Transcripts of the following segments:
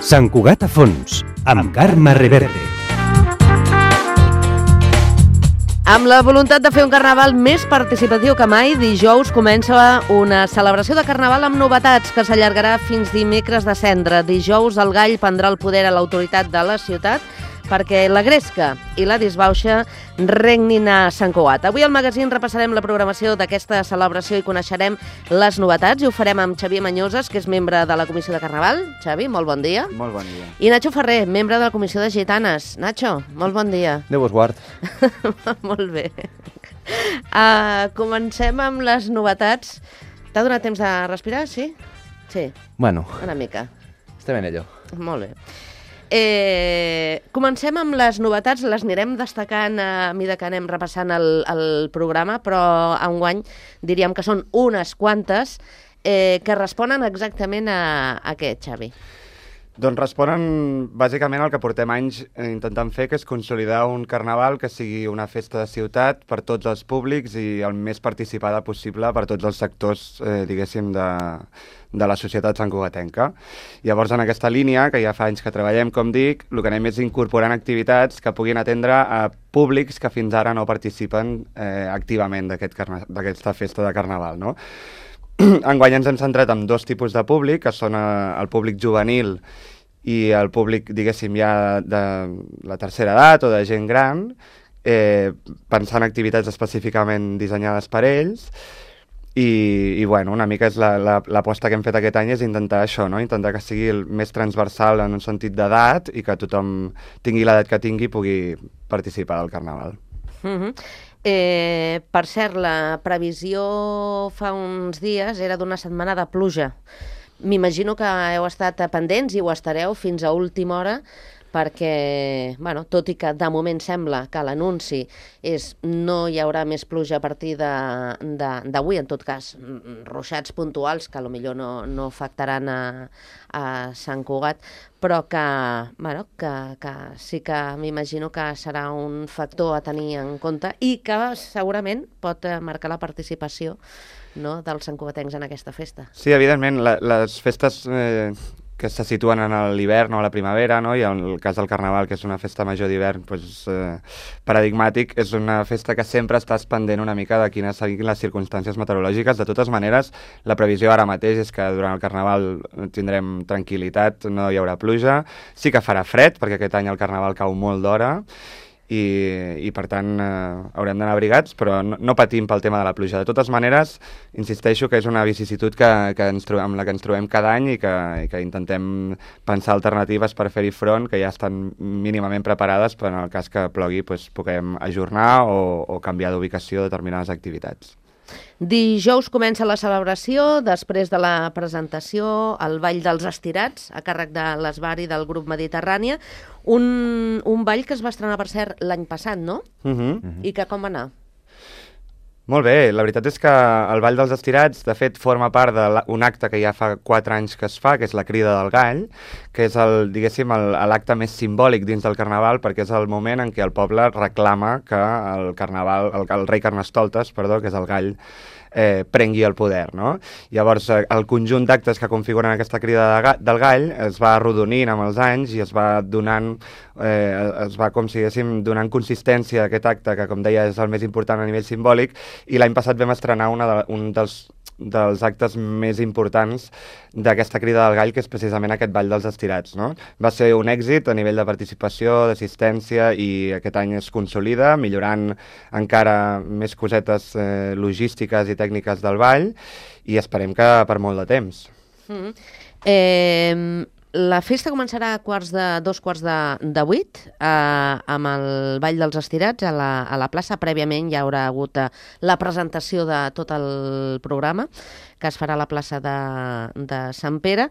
Sant Cugat a fons, amb Carme Reverte. Amb la voluntat de fer un carnaval més participatiu que mai, dijous comença una celebració de carnaval amb novetats que s'allargarà fins dimecres de Cendra. Dijous el gall prendrà el poder a l'autoritat de la ciutat perquè la gresca i la disbauxa regnin a Sant Cugat. Avui al magazín repassarem la programació d'aquesta celebració i coneixerem les novetats i ho farem amb Xavier Mañoses, que és membre de la Comissió de Carnaval. Xavi, molt bon dia. Molt bon dia. I Nacho Ferrer, membre de la Comissió de Gitanes. Nacho, molt bon dia. Déu vos guard. Molt bé. Comencem amb les novetats. T'ha donat temps de respirar, sí? Sí. Bueno. Una mica. Estem en ello. Molt bé. Comencem amb les novetats, les anirem destacant a mesura que anem repassant el programa, però enguany diríem que són unes quantes que responen exactament a què, Xavi? Doncs responen bàsicament al que portem anys intentant fer, que és consolidar un carnaval que sigui una festa de ciutat per tots els públics i el més participada possible per tots els sectors, diguéssim, de la societat santcugatenca. Llavors, en aquesta línia, que ja fa anys que treballem, com dic, el que anem és incorporant activitats que puguin atendre a públics que fins ara no participen activament d'aquesta festa de carnaval, no? Enguany ens hem centrat en dos tipus de públic, que són el públic juvenil i el públic, diguéssim, ja de la tercera edat o de gent gran, pensant en activitats específicament dissenyades per ells. I bueno, una mica és l'aposta que hem fet aquest any és intentar això, no? Intentar que sigui el més transversal en un sentit d'edat i que tothom tingui l'edat que tingui i pugui participar del carnaval. Per cert, la previsió fa uns dies era d'una setmana de pluja. M'imagino que heu estat pendents i ho estareu fins a última hora perquè, bueno, tot i que de moment sembla que l'anunci és no hi haurà més pluja a partir d'avui, en tot cas, ruixats puntuals que potser no afectaran a Sant Cugat, però que, bueno, que sí que m'imagino que serà un factor a tenir en compte i que segurament pot marcar la participació, no, dels santcugatencs en aquesta festa. Sí, evidentment, les festes que se situen en l'hivern o a la primavera, no? I en el cas del Carnaval, que és una festa major d'hivern paradigmàtic, és una festa que sempre estàs pendent una mica de quines siguin les circumstàncies meteorològiques. De totes maneres, la previsió ara mateix és que durant el Carnaval tindrem tranquil·litat, no hi haurà pluja. Sí que farà fred, perquè aquest any el Carnaval cau molt d'hora, i per tant haurem d'anar abrigats, però no patim pel tema de la pluja. De totes maneres, insisteixo que és una vicisitud amb la que ens trobem cada any i que intentem pensar alternatives per fer-hi front, que ja estan mínimament preparades per en el cas que plogui puguem ajornar o canviar d'ubicació determinades activitats. Dijous comença la celebració, després de la presentació, el Ball dels Estirats, a càrrec de l'Esbar i del grup Mediterrània, un ball que es va estrenar, per cert, l'any passat, no? I que com va anar? Molt bé, la veritat és que el Ball dels Estirats, de fet, forma part d'un acte que ja fa 4 anys que es fa, que és la Crida del Gall, que és l'acte més simbòlic dins del Carnaval, perquè és el moment en què el poble reclama que el rei Carnestoltes, que és el gall, prengui el poder, no? Llavors, el conjunt d'actes que configuren aquesta Crida del Gall es va arrodonint amb els anys i es va donant, com si diguéssim, donant consistència a aquest acte, que com deia és el més important a nivell simbòlic, i l'any passat vam estrenar un dels actes més importants d'aquesta Crida del Gall, que és precisament aquest Ball dels Estirats, no? Va ser un èxit a nivell de participació, d'assistència, i aquest any es consolida, millorant encara més cosetes logístiques i tècniques del ball, i esperem que per molt de temps. La festa començarà a 7:45 amb el Ball dels Estirats a la plaça. Prèviament hi haurà hagut la presentació de tot el programa, que es farà a la plaça de Sant Pere,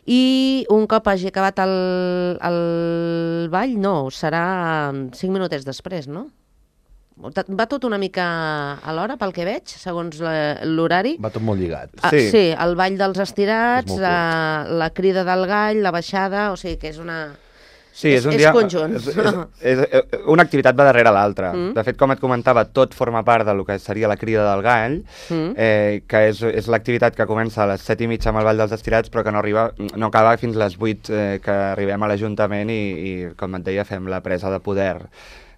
i un cop hagi acabat el ball, serà 5 minutets després, no? Va tot una mica a l'hora, pel que veig, segons l'horari. Va tot molt lligat. Sí, el Ball dels Estirats, la Crida del Gall, la baixada, o sigui que és una... Sí, és un dia... conjunt. Una activitat va darrere l'altra. De fet, com et comentava, tot forma part del que seria la crida del gall, que és l'activitat que comença a les 7:30 amb el Ball dels Estirats, però que no acaba fins a les 8 que arribem a l'Ajuntament i, com et deia, fem la presa de poder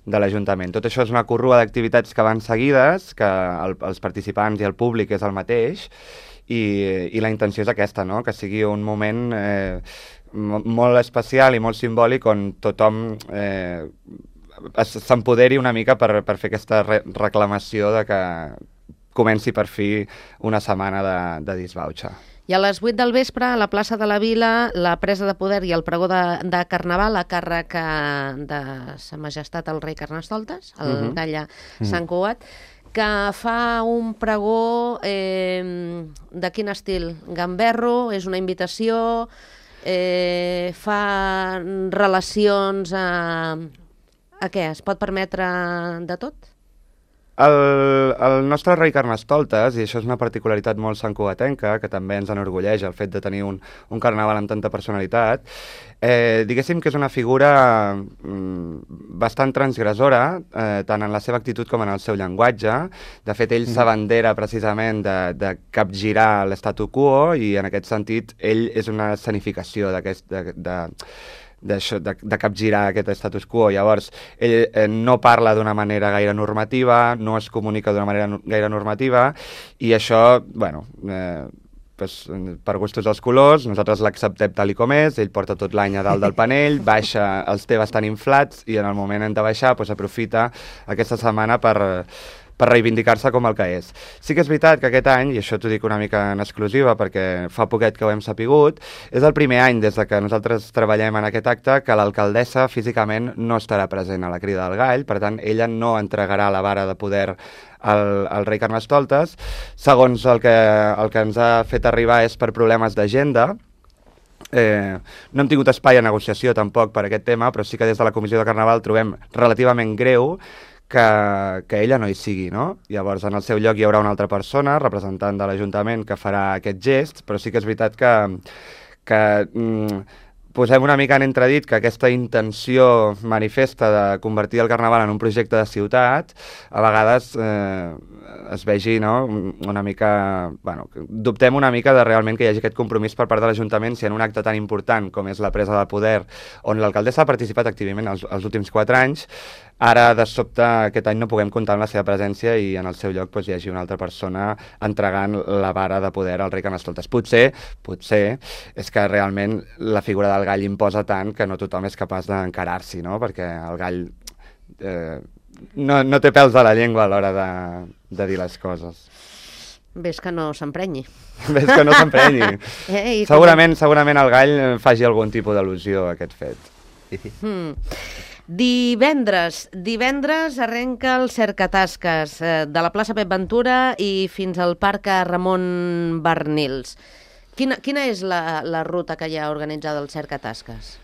de l'Ajuntament. Tot això és una corrua d'activitats que van seguides, que els participants i el públic és el mateix, i la intenció és aquesta, no? Que sigui un moment molt especial i molt simbòlic on tothom s'empoderi una mica per fer aquesta reclamació de que comenci per fi una setmana de disbauxa. I a les 8 del vespre, a la plaça de la Vila, la presa de poder i el pregó de Carnaval a càrrec de Sa Majestat el rei Carnestoltes, el gall Sant Cugat, que fa un pregó de quin estil? Gamberro, és una invitació, fa relacions a què? Es pot permetre de tot? El nostre rei Carnestoltes, i això és una particularitat molt santcugatenca, que també ens enorgulleix el fet de tenir un carnaval amb tanta personalitat, diguéssim que és una figura bastant transgressora, tant en la seva actitud com en el seu llenguatge. De fet, ell s'abandera precisament de capgirar l'statu quo, i en aquest sentit ell és una escenificació de capgirar aquest status quo. Llavors, ell no parla d'una manera gaire normativa, no es comunica d'una manera gaire normativa, i això, bueno, per gustos dels colors, nosaltres l'acceptem tal com és, ell porta tot l'any a dalt del panell, baixa, els té bastant inflats, i en el moment de baixar aprofita aquesta setmana per reivindicar-se com el que és. Sí que és veritat que aquest any, i això t'ho dic una mica en exclusiva perquè fa poquet que ho hem sapigut, és el primer any des de que nosaltres treballem en aquest acte que l'alcaldessa físicament no estarà present a la crida del gall, per tant, ella no entregarà la vara de poder al rei Carnestoltes. Segons el que ens ha fet arribar és per problemes d'agenda. No hem tingut espai a negociació tampoc per aquest tema, però sí que des de la Comissió de Carnaval trobem relativament greu que ella no hi sigui, no? Llavors, en el seu lloc hi haurà una altra persona, representant de l'Ajuntament, que farà aquest gest, però sí que és veritat que posem una mica en entredit que aquesta intenció manifesta de convertir el Carnaval en un projecte de ciutat, a vegades es vegi, no, una mica... Bueno, dubtem una mica de realment que hi hagi aquest compromís per part de l'Ajuntament si en un acte tan important com és la presa de poder, on l'alcaldessa ha participat activament els últims 4 anys, ara, de sobte, aquest any no puguem comptar amb la seva presència i en el seu lloc hi hagi una altra persona entregant la vara de poder al rei Carnestoltes. Potser és que realment la figura del gall imposa tant que no tothom és capaç d'encarar-s'hi, no? Perquè el gall no té pèls a la llengua a l'hora de dir les coses. Ves que no s'emprenyi. Ves que no s'emprenyi. Segurament el gall faci algun tipus d'al·lusió a aquest fet. Divendres arrenca el Cercatasques de la plaça Pep Ventura i fins al parc Ramon Barnils. Quina és la ruta que hi ha organitzada al Cercatasques?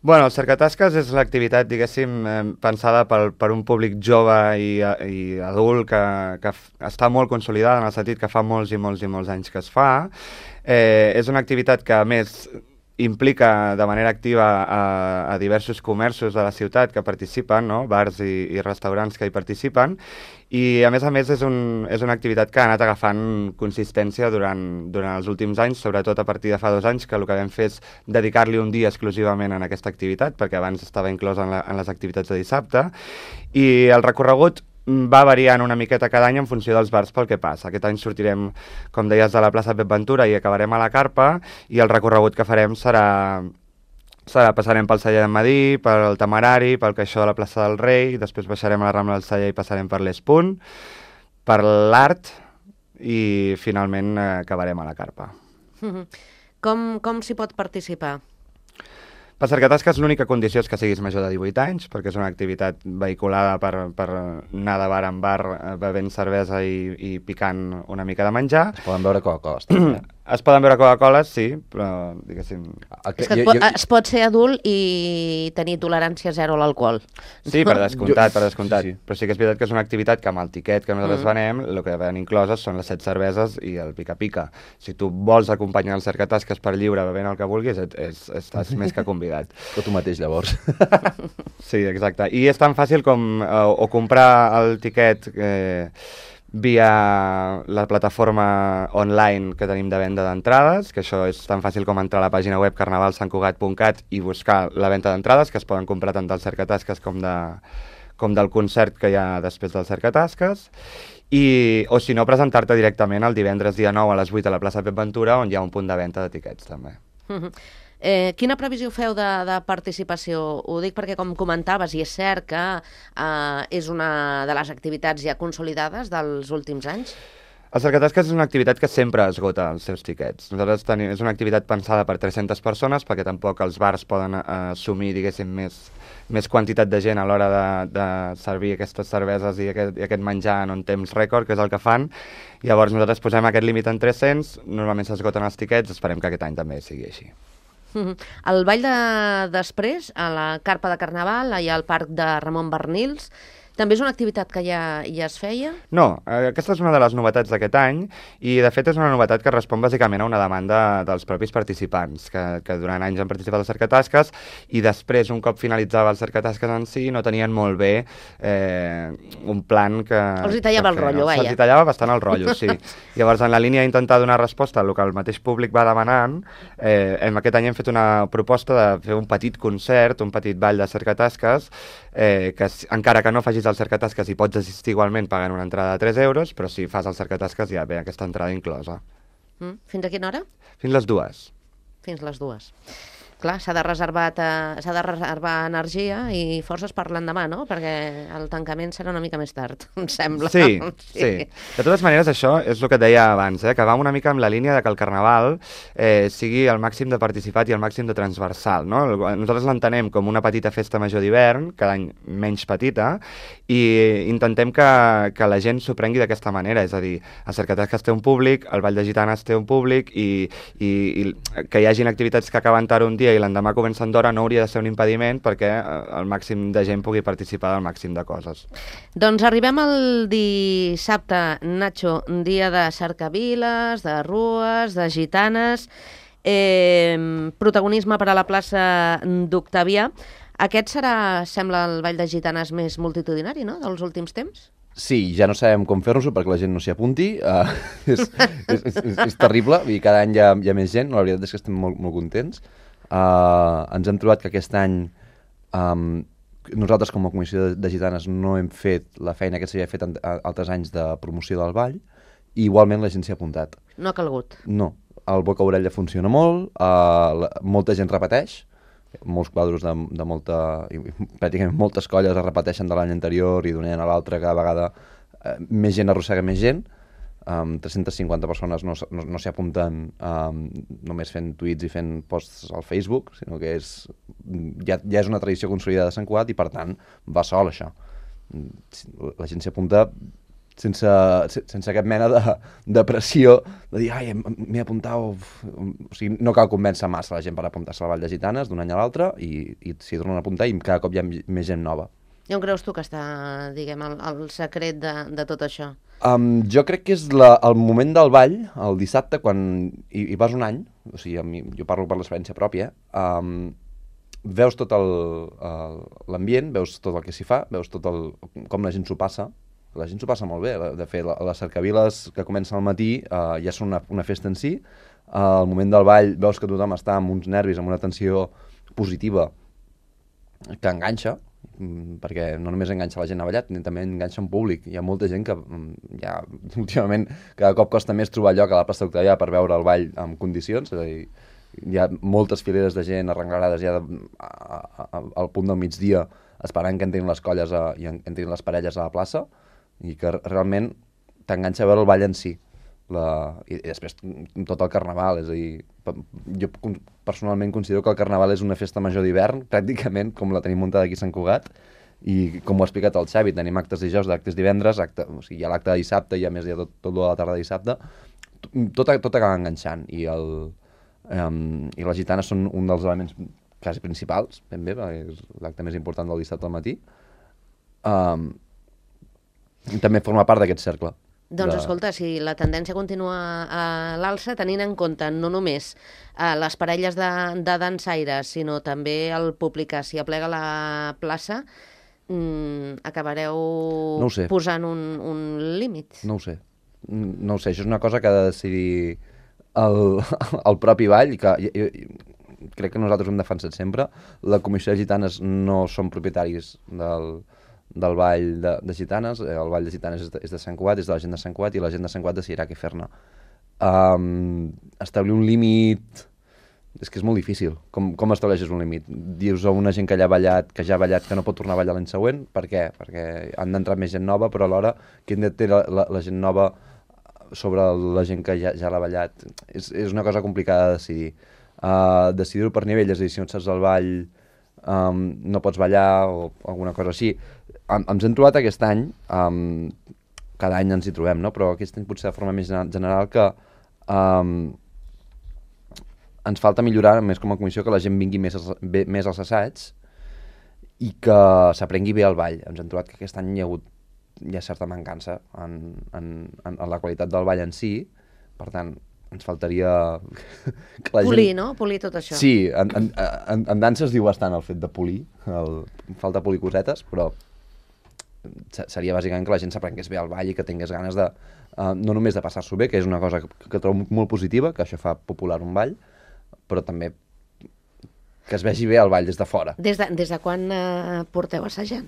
Bueno, el Cercatasques és l'activitat, diguéssim, pensada per un públic jove i adult que està molt consolidada en el sentit que fa molts i molts i molts anys que es fa. És una activitat que, a més, implica de manera activa a diversos comerços de la ciutat que participen, no? Bars i restaurants que hi participen, i a més és una activitat que ha anat agafant consistència durant els últims anys, sobretot a partir de fa 2 anys, que el que vam fer és dedicar-li un dia exclusivament a aquesta activitat, perquè abans estava inclòs en les activitats de dissabte, i el recorregut va variant una miqueta cada any en funció dels bars pel que passa. Aquest any sortirem, com deies, de la plaça Pep Ventura i acabarem a la Carpa, i el recorregut que farem passarem pel Celler d'en Madí, pel Temerari, pel Caixó de la plaça del Rei, després baixarem a la Rambla del Celler i passarem per l'Espunt, per l'Art, i finalment acabarem a la Carpa. Com s'hi pot participar? Per Cercatasques l'única condició és que siguis major de 18 anys, perquè és una activitat vehiculada per anar de bar en bar bevent cervesa i picant una mica de menjar. Es poden veure Coca-Cola. Es poden veure Coca-Coles, sí, però, diguéssim... És que es pot ser adult i tenir tolerància zero a l'alcohol. Sí, per descomptat. Sí. Però sí que és veritat que és una activitat que amb el tiquet que nosaltres venem, el que ven incloses són les 7 cerveses i el pica-pica. Si tu vols acompanyar el cercatasques per lliure bevent el que vulguis, estàs més que convidat. O tu mateix, llavors. Sí, exacte. I és tan fàcil com o comprar el tiquet via la plataforma online que tenim de venda d'entrades, que això és tan fàcil com entrar a la pàgina web carnavalsantcugat.cat i buscar la venda d'entrades, que es poden comprar tant del cercatasques com del concert que hi ha després del cercatasques, o si no, presentar-te directament el divendres dia 9 a les 8 a la plaça Pep Ventura, on hi ha un punt de venda de tiquets, també. Quina previsió feu de participació? Ho dic perquè, com comentaves, i és cert que és una de les activitats ja consolidades dels últims anys. El cercatasques és una activitat que sempre esgota els seus tiquets. Nosaltres és una activitat pensada per 300 persones, perquè tampoc els bars poden assumir, diguéssim, més quantitat de gent a l'hora de servir aquestes cerveses i aquest menjar en un temps rècord, que és el que fan. Llavors nosaltres posem aquest límit en 300, normalment s'esgoten els tiquets, esperem que aquest any també sigui així. El ball després, a la carpa de Carnaval, allà al parc de Ramon Barnils, també és una activitat que ja es feia? No, aquesta és una de les novetats d'aquest any i, de fet, és una novetat que respon bàsicament a una demanda dels propis participants, que durant anys han participat als cercatasques i després, un cop finalitzava el cercatasques en si, no tenien molt bé un plan que... Els hi tallava el rotllo, vaja. Se'ls hi tallava bastant el rotllo, sí. Llavors, en la línia d'intentar donar resposta al que el mateix públic va demanant, aquest any hem fet una proposta de fer un petit concert, un petit ball de cercatasques, que encara que no facis el cercatasques hi pots assistir igualment pagant una entrada de 3 euros, però si fas el cercatasques ja ve aquesta entrada inclosa. Fins a quina hora? Fins les 2. Fins les 2. Clar, s'ha de reservar energia i forces per l'endemà, no? Perquè el tancament serà una mica més tard, em sembla. Sí. De totes maneres, això és el que et deia abans, que va una mica amb la línia de que el Carnaval sigui el màxim de participat i el màxim de transversal, no? Nosaltres l'entenem com una petita festa major d'hivern, cada any menys petita, i intentem que la gent s'ho prengui d'aquesta manera, és a dir, el cercatasques té un públic, el Ball de Gitanes té un públic, i que hi hagin activitats que acaben tard un dia i l'endemà comencen d'hora no hauria de ser un impediment perquè el màxim de gent pugui participar del màxim de coses. Doncs arribem al dissabte, Nacho, dia de cercaviles, de rues, de gitanes, protagonisme per a la plaça d'Octavià. Aquest serà, sembla, el Ball de Gitanes més multitudinari, no?, dels últims temps? Sí, ja no sabem com fer-nos-ho perquè la gent no s'hi apunti. És terrible, i cada any hi ha més gent. La veritat és que estem molt contents. Ens hem trobat que aquest any nosaltres com a Comissió de Gitanes no hem fet la feina que s'havia fet altres anys de promoció del ball i igualment la gent s'hi ha apuntat. No ha calgut? No, el boca-orella funciona molt, molta gent repeteix, molts quadros pràcticament moltes colles es repeteixen de l'any anterior i d'un any a l'altre cada vegada més gent arrossega més gent. 350 persones no s'hi apunten només fent tuits i fent posts al Facebook, sinó que ja és una tradició consolidada de Sant Cugat i per tant va sol això. La gent s'hi apunta sense cap mena de pressió de dir, ai, m'he apuntat, o sigui, no cal convèncer massa la gent per apuntar-se al Ball de Gitanes d'un any a l'altre i s'hi tornen a apuntar i cada cop hi ha més gent nova. I on creus tu que està, diguem, el secret de tot això? Jo crec que és el moment del ball, el dissabte, quan hi vas un any, o sigui, jo parlo per l'experiència pròpia, veus tot l'ambient, veus tot el que s'hi fa, veus com la gent s'ho passa. La gent s'ho passa molt bé. De fet, les cercaviles que comencen al matí ja són una festa en si. Al moment del ball veus que tothom està amb uns nervis, amb una tensió positiva que enganxa, perquè no només enganxa la gent a ballar, també enganxa un públic. Hi ha molta gent que ja últimament cada cop costa més trobar lloc a la plaça d'Octavià per veure el ball en condicions, és a dir, hi ha moltes fileres de gent arrenglades ja al punt del migdia esperant que entrin les colles i entrin les parelles a la plaça i que realment t'enganxa a veure el ball en si. I després tot el Carnaval, és a dir, jo personalment considero que el Carnaval és una festa major d'hivern, pràcticament com la tenim muntada aquí a Sant Cugat, i com ho ha explicat el Xavi, tenim actes dijous, actes divendres, o sigui, hi ha l'acte de dissabte i a més hi ha tot de la tarda de dissabte, tot acaba enganxant i les gitanes són un dels elements quasi principals, ben bé, perquè és l'acte més important del dissabte al matí. També forma part d'aquest cercle. Doncs escolta, si la tendència continua a l'alça, tenint en compte no només les parelles de dansaires, sinó també el públic que s'hi aplega a la plaça, acabareu posant un límit? No ho sé, això és una cosa que ha de decidir el propi ball, i que crec que nosaltres ho hem defensat sempre. La Comissió de Gitanes no són propietaris del ball de gitanes, el ball de gitanes és de Sant Cugat, és de la gent de Sant Cugat, i la gent de Sant Cugat decidirà què fer-ne. Establir un límit és que és molt difícil. Com estableixes un límit? Dius a una gent que ja ha ballat, que no pot tornar a ballar l'any següent? Per què? Perquè han d'entrar més gent nova, però alhora qui té la gent nova sobre la gent que ja l'ha ballat? És una cosa complicada de decidir. Decidir-ho per nivell, és a dir, si no et saps el ball no pots ballar o alguna cosa així. Ens hem trobat aquest any, cada any ens hi trobem, no? Però aquest any potser de forma més general que ens falta millorar més com a comissió, que la gent vingui més als assaigs i que s'aprengui bé el ball. Ens hem trobat que aquest any hi ha hagut certa mancança en la qualitat del ball en si, per tant, ens faltaria que la polir, gent... no? Polir tot això. Sí, en dansa es diu bastant el fet de polir, falta polir cosetes, però seria bàsicament que la gent s'aprengués bé el ball i que tingués ganes de, no només de passar-s'ho bé, que és una cosa que trobo molt positiva, que això fa popular un ball, però també que es vegi bé el ball des de fora. Des de quan porteu assajant?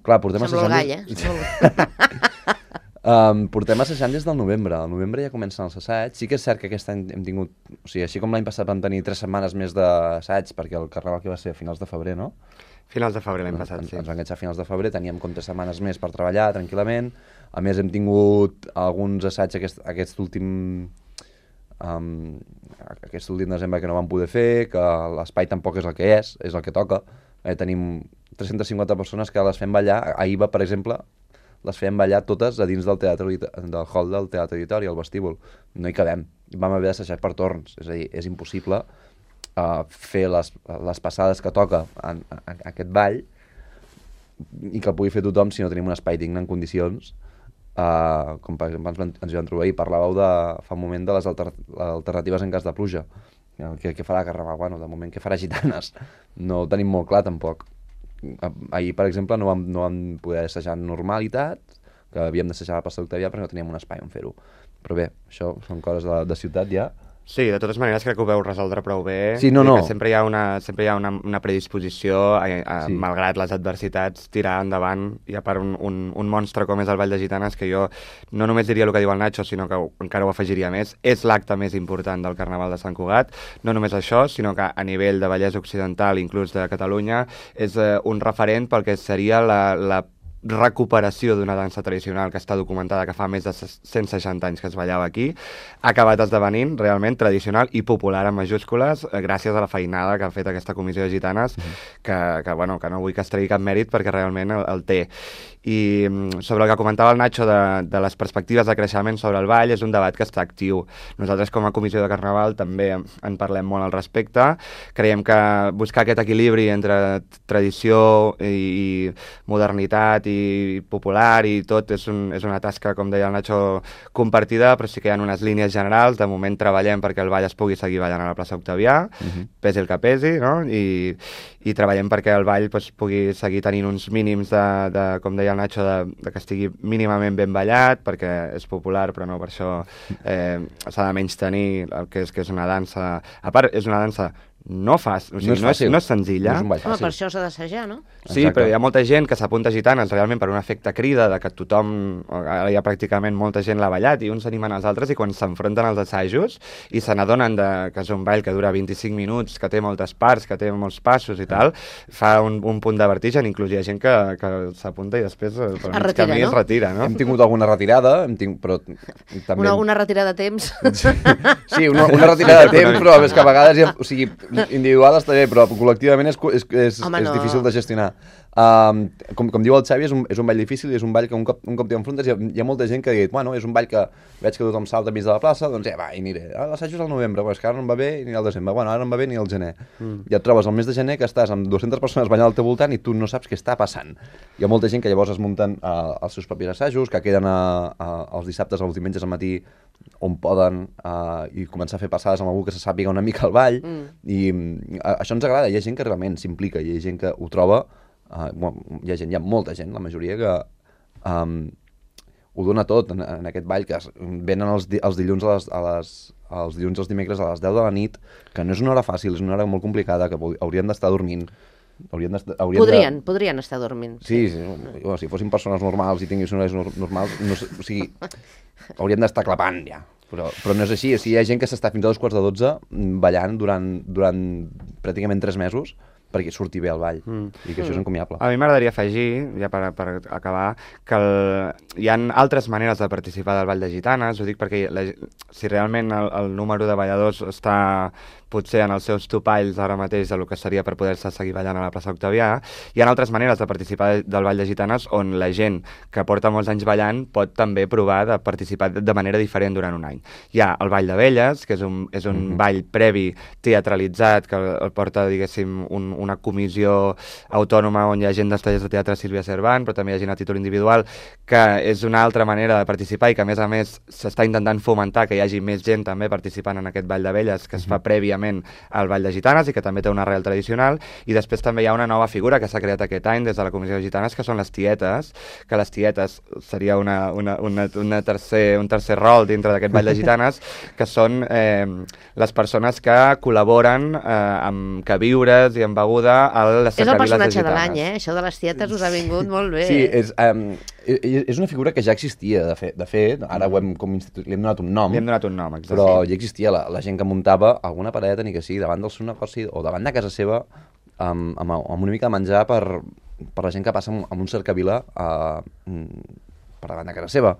Clar, portem assajant... Sembla el gall, portem assajant des del novembre. Al novembre ja comencen els assaigs. Sí que és cert que aquest any hem tingut... O sigui, així com l'any passat vam tenir 3 setmanes més d'assaigs, perquè el carnaval que va ser a finals de febrer, no? Finals de febrer l'any passat, sí. Ens van enganxar a finals de febrer, teníem com 3 setmanes més per treballar tranquil·lament. A més, hem tingut alguns assaigs aquest últim desembre que no vam poder fer, que l'espai tampoc és el que és el que toca. Tenim 350 persones que les fem ballar. Ahir, per exemple, les fem ballar totes a dins del hall del Teatre Auditori, al vestíbul. No hi cabem. Vam haver d'assajar per torns. És a dir, és impossible fer les passades que toca en aquest ball i que el pugui fer tothom si no tenim un espai digne en condicions. Com per exemple ens hi vam trobar i parlàveu fa un moment de les alternatives en cas de pluja. Què farà Carnaval? Bueno, de moment què farà Gitanes? No ho tenim molt clar tampoc. Ahir, per exemple, no vam poder assajar en normalitat, que havíem d'assajar a la plaça d'Octavià, però no teníem un espai on fer-ho. Però bé, això són coses de ciutat ja. Sí, de totes maneres crec que ho veu resoldre prou bé. Sí, no. Que sempre hi ha una predisposició, sí, malgrat les adversitats, tirar endavant. Hi ha per un monstre com és el Ball de Gitanes, que jo no només diria el que diu el Nacho, sinó que encara ho afegiria més. És l'acte més important del Carnaval de Sant Cugat. No només això, sinó que a nivell de Vallès Occidental, inclús de Catalunya, és un referent pel que seria la recuperació d'una dansa tradicional que està documentada, que fa més de 160 anys que es ballava aquí, ha acabat esdevenint realment tradicional i popular en majúscules, gràcies a la feinada que ha fet aquesta comissió de gitanes, que no vull que es tregui cap mèrit perquè realment el té. I sobre el que comentava el Nacho de les perspectives de creixement sobre el ball, és un debat que està actiu. Nosaltres com a comissió de Carnaval també en parlem molt al respecte. Creiem que buscar aquest equilibri entre tradició i modernitat i popular i tot és una tasca, com deia el Nacho, compartida, però sí que hi ha unes línies generals. De moment treballem perquè el ball es pugui seguir ballant a la plaça Octavià, pesi el que pesi, no? I treballem perquè el ball pugui seguir tenint uns mínims com deia el Nacho, de que estigui mínimament ben ballat, perquè és popular, però no per això s'ha de menystenir el que és una dansa. A part, és una dansa no fàcil, o sigui, no és senzilla. No és un ball fàcil. Home, per això s'ha d'assajar, no? Sí, però hi ha molta gent que s'apunta a gitanes realment per un efecte crida, de que tothom, ara hi ha pràcticament molta gent l'ha ballat i uns animen els altres, i quan s'enfronten als assajos i se n'adonen que és un ball que dura 25 minuts, que té moltes parts, que té molts passos i tal, fa un punt de vertigen. Inclús hi ha gent que s'apunta i després per mig camí es retira, no? Hem tingut alguna retirada, però també... Una retirada de temps. Sí, una retirada de temps, però és que a vegades, o sigui, individual està bé, però col·lectivament és difícil de gestionar. Com diu el Xavi, és un ball difícil i és un ball que un cop t'hi enfrontes hi ha molta gent que ha dit, bueno, és un ball que veig que tothom salta enmig de la plaça, doncs va, hi aniré. L'assaig és al novembre, però és que ara no em va bé ni al desembre, bueno, ara no em va bé ni al gener. I et trobes al mes de gener que estàs amb 200 persones ballant al teu voltant i tu no saps què està passant. Hi ha molta gent que llavors es munten els seus propis assajos, que queden els dissabtes o els diumenges al matí on poden i començar a fer passades amb algú que se sàpiga una mica el ball i això ens agrada, hi ha gent que realment s'implica, hi ha gent que ho troba, hi ha molta gent, la majoria que ho dona tot en aquest ball, que venen els dilluns els dilluns i els dimecres a les 10 de la nit, que no és una hora fàcil, és una hora molt complicada, que haurien d'estar dormint. Podrien estar dormint. Sí. Si fossin persones normals i tinguessin horaris normals, o sigui, haurien d'estar clapant ja. Però no és així, hi ha gent que s'està fins a 2:45 ballant durant pràcticament 3 mesos perquè surti bé el ball, i que això és encomiable. A mi m'agradaria afegir, ja per acabar, que hi ha altres maneres de participar del Ball de Gitanes, ho dic perquè si realment el número de balladors està potser en els seus topalls ara mateix del que seria per poder-se seguir ballant a la plaça Octavià, hi ha altres maneres de participar del Ball de Gitanes on la gent que porta molts anys ballant pot també provar de participar de manera diferent durant un any. Hi ha el Ball de Velles, que és un ball previ teatralitzat, que el porta, diguéssim, una comissió autònoma on hi ha gent dels tallers de teatre Sílvia Cervant, però també hi ha gent a títol individual, que és una altra manera de participar i que, a més, s'està intentant fomentar que hi hagi més gent també participant en aquest Ball de Velles, que es fa prèviament al Ball de Gitanes i que també té una arrel tradicional. I després també hi ha una nova figura que s'ha creat aquest any des de la Comissió de Gitanes, que són les tietes, que les tietes seria un tercer rol dintre d'aquest Ball de Gitanes, que són les persones que col·laboren amb queviures i amb beguda a les cercaviles de Gitanes. És el personatge de l'any, això de les tietes us ha vingut molt bé. Sí, és una figura que ja existia, de fet, ara li hem donat un nom. Li hem donat un nom, exacte. Però ja existia la gent que muntava alguna pareta, ni que sigui, davant del seu negoci o davant de casa seva, amb una mica de menjar per la gent que passa amb un cercavila per davant de casa seva.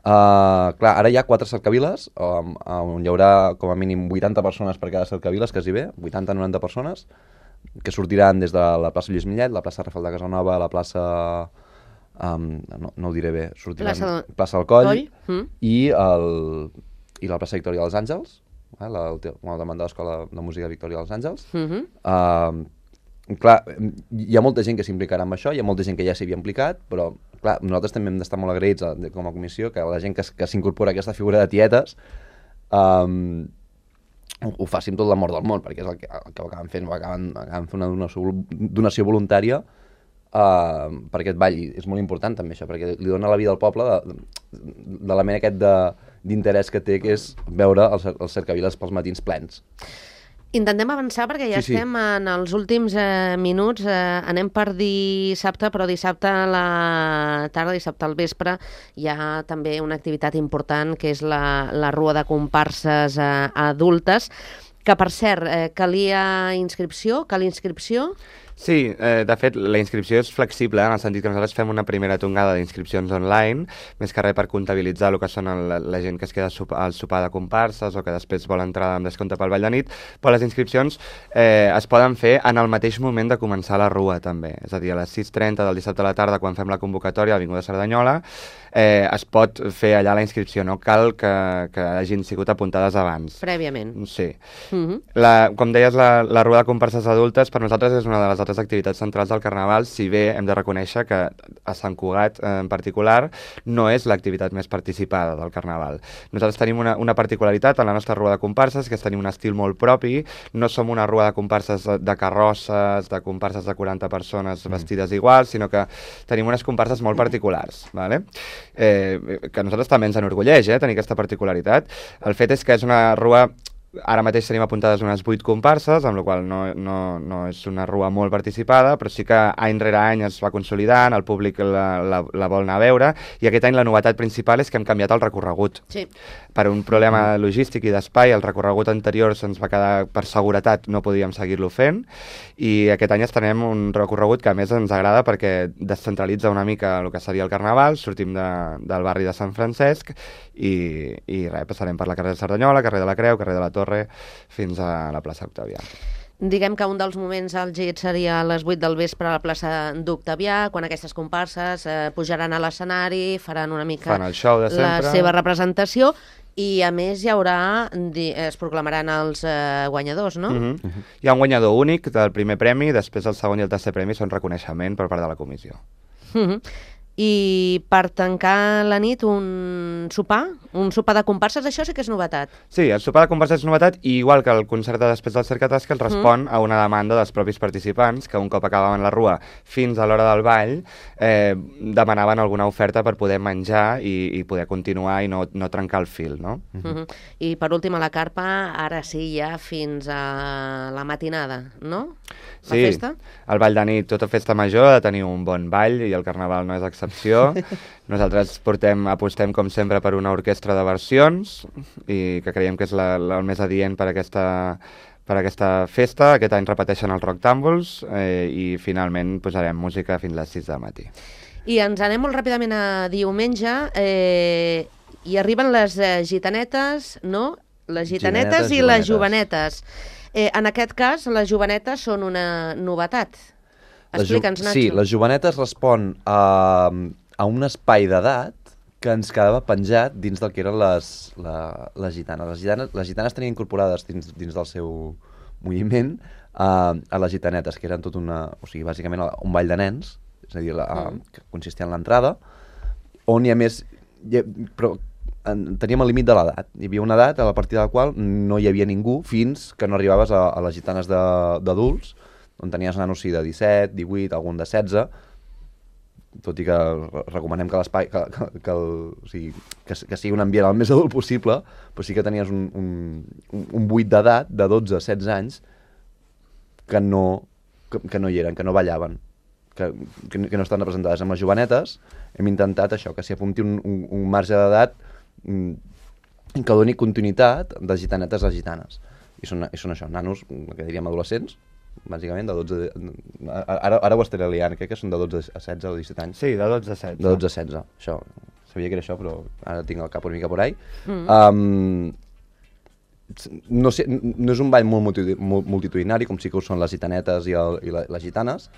Clar, ara hi ha 4 cercaviles, on hi haurà com a mínim 80 persones per cada cercaviles, quasi bé, 80-90 persones, que sortiran des de la plaça Lluís Millet, la plaça Rafel de Casanova, la plaça... no ho diré bé, sortiran plaça del Coll i la plaça Victòria dels Àngels, davant de l'Escola de Música Victòria dels Àngels. Clar, hi ha molta gent que s'implicarà amb això, hi ha molta gent que ja s'hi havia implicat, però clar, nosaltres també hem d'estar molt agraïts com a comissió que la gent que s'incorpora a aquesta figura de tietes ho faci amb tot l'amor del món, perquè és el que acaben fent, acaben fent una donació voluntària per aquest ball. I és molt important també això, perquè li dona la vida al poble de l'element aquest d'interès que té, que és veure els cercaviles pels matins plens. Intentem avançar perquè ja estem en els últims minuts. Anem per dissabte, però dissabte a la tarda, dissabte al vespre, hi ha també una activitat important, que és la rua de comparses adultes, que per cert, calia inscripció? Sí, de fet, la inscripció és flexible, en el sentit que nosaltres fem una primera tongada d'inscripcions online, més que res per comptabilitzar el que són la gent que es queda al sopar de comparses o que després vol entrar amb descompte pel ball de nit, però les inscripcions es poden fer en el mateix moment de començar la rua, també. És a dir, a les 6:30 del dissabte a la tarda, quan fem la convocatòria a l'Avinguda Cerdanyola, es pot fer allà la inscripció, no cal que hagin sigut apuntades abans. Prèviament. Sí. Com deies, la rua de comparses adultes per nosaltres és una de les altres activitats centrals del Carnaval, si bé hem de reconèixer que a Sant Cugat en particular no és l'activitat més participada del Carnaval. Nosaltres tenim una particularitat en la nostra rua de comparses, que és tenir un estil molt propi, no som una rua de comparses de carrosses, de comparses de 40 persones vestides iguals, sinó que tenim unes comparses molt particulars, ¿vale? Que a nosaltres també ens enorgulleix tenir aquesta particularitat. El fet és que és una rua... Ara mateix tenim apuntades unes 8 comparses, amb la qual no és una rua molt participada, però sí que any rere any es va consolidant, el públic la vol anar a veure, i aquest any la novetat principal és que hem canviat el recorregut. Sí. Per un problema logístic i d'espai, el recorregut anterior se'ns va quedar, per seguretat, no podíem seguir-lo fent, i aquest any estrenem un recorregut que a més ens agrada perquè descentralitza una mica el que seria el Carnaval, sortim del barri de Sant Francesc, i res, passarem per la carrer de Cerdanyola, carrer de la Creu, carrer de la Torre, fins a la plaça Octavià. Diguem que un dels moments àlgids seria a les 8 del vespre a la plaça d'Octavià, quan aquestes comparses pujaran a l'escenari, faran una mica Fan el show de la sempre. seva representació, i a més hi haurà, es proclamaran els guanyadors, no? Hi ha un guanyador únic del primer premi, després el segon i el tercer premi són reconeixement per part de la comissió. I per tancar la nit un sopar de comparses, això sí que és novetat. Sí, el sopar de comparses és novetat, i igual que el concert de després del Cercatasca, respon a una demanda dels propis participants, que un cop acabaven la rua fins a l'hora del ball, demanaven alguna oferta per poder menjar i poder continuar i no trencar el fil, no? I per últim, a la carpa, ara sí, ja fins a la matinada, no? La festa? El ball de nit, tota festa major, ha de tenir un bon ball, i el carnaval no és excepció. Nosaltres apostem, com sempre, per una orquestra de versions, i que creiem que és el més adient per aquesta festa. Aquest any repeteixen els Rock Tumbles, i finalment posarem música fins a les 6 del matí. I ens anem molt ràpidament a diumenge, i arriben les gitanetes, no? Les gitanetes i les jovenetes. En aquest cas, les jovenetes són una novetat. Explica'ns, Nacho. Sí, les jovenetes respon a un espai d'edat que ens quedava penjat dins del que eren les gitanes. Les gitanes tenien incorporades dins del seu moviment a les gitanetes, que eren tot o sigui, bàsicament un ball de nens, és a dir, que consistia en l'entrada, on hi ha més... Però teníem el límit de l'edat. Hi havia una edat a partir de la qual no hi havia ningú fins que no arribaves a les gitanes d'adults, on tenies nanos de 17, 18, algun de 16, tot i que recomanem que l'espai que sigui un ambient el més adult possible, però sí que tenies un buit d'edat de 12 a 16 anys que no hi eren, que no ballaven, que no estan representades. Amb les jovenetes hem intentat això, que s'hi apunti un marge d'edat que doni continuïtat de gitanetes a gitanes. I són això, nanos, que diríem adolescents, bàsicament, de 12... Ara ho estaré liant, crec que són de 12 a 16 o 17 anys. Sí, de 12 a 16. De 12 a 16, això. Sabia que era això, però ara tinc el cap una mica por ahí. No és un ball molt multitudinari, com sí que ho són les gitanetes i les gitanes,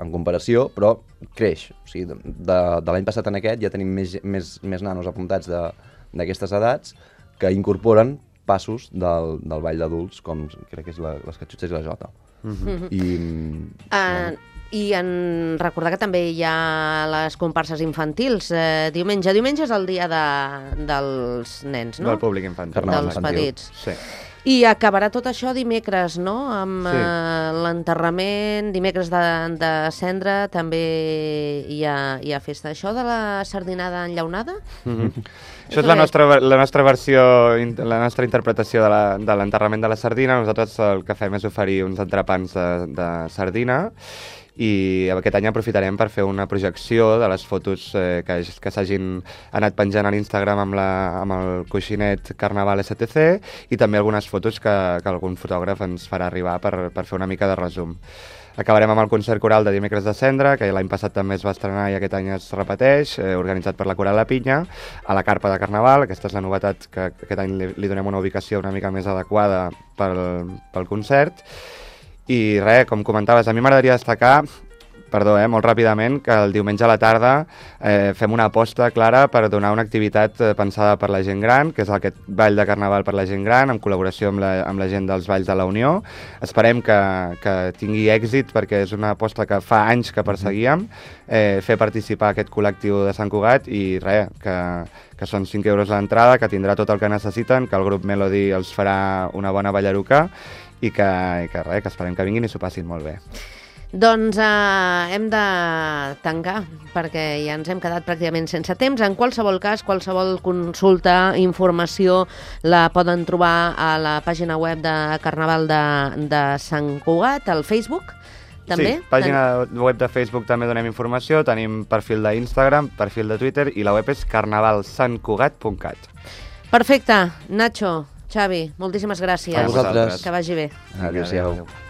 en comparació, però creix. O sigui, de l'any passat en aquest ja tenim més nanos apuntats d'aquestes edats que incorporen passos del ball d'adults, com crec que és les catxutxes i la jota. I en recordar que també hi ha les comparses infantils. Diumenge és el dia dels nens, no? Del públic infantil. Dels petits. Sí. I acabarà tot això dimecres, no? Amb l'enterrament, dimecres de cendre, també hi ha festa. Això de la sardinada enllaunada? Això és la nostra versió, la nostra interpretació de l'enterrament de la sardina. Nosaltres el que fem és oferir uns entrepans de sardina, i aquest any aprofitarem per fer una projecció de les fotos que s'hagin anat penjant a l'Instagram amb el coixinet Carnaval STC, i també algunes fotos que algun fotògraf ens farà arribar per fer una mica de resum. Acabarem amb el concert coral de dimecres de cendre, que l'any passat també es va estrenar i aquest any es repeteix, organitzat per la Coral La Pinya, a la carpa de Carnaval. Aquesta és la novetat, que aquest any li donem una ubicació una mica més adequada pel concert. I res, com comentaves, a mi m'agradaria destacar, molt ràpidament, que el diumenge a la tarda fem una aposta clara per donar una activitat pensada per la gent gran, que és aquest ball de carnaval per la gent gran, en col·laboració amb la gent dels Balls de la Unió. Esperem que tingui èxit, perquè és una aposta que fa anys que perseguíem, fer participar aquest col·lectiu de Sant Cugat, i res, que són 5 euros l'entrada, que tindrà tot el que necessiten, que el grup Melody els farà una bona ballaruca, i que esperem que vinguin i s'ho passin molt bé. Doncs hem de tancar, perquè ja ens hem quedat pràcticament sense temps. En qualsevol cas, qualsevol consulta, informació, la poden trobar a la pàgina web de Carnaval de Sant Cugat, al Facebook, també? Sí, pàgina web de Facebook també donem informació, tenim perfil d'Instagram, perfil de Twitter, i la web és carnavalsantcugat.cat. Perfecte. Nacho, Xavi, moltíssimes gràcies. A vosaltres. Que vagi bé. Adéu-siau.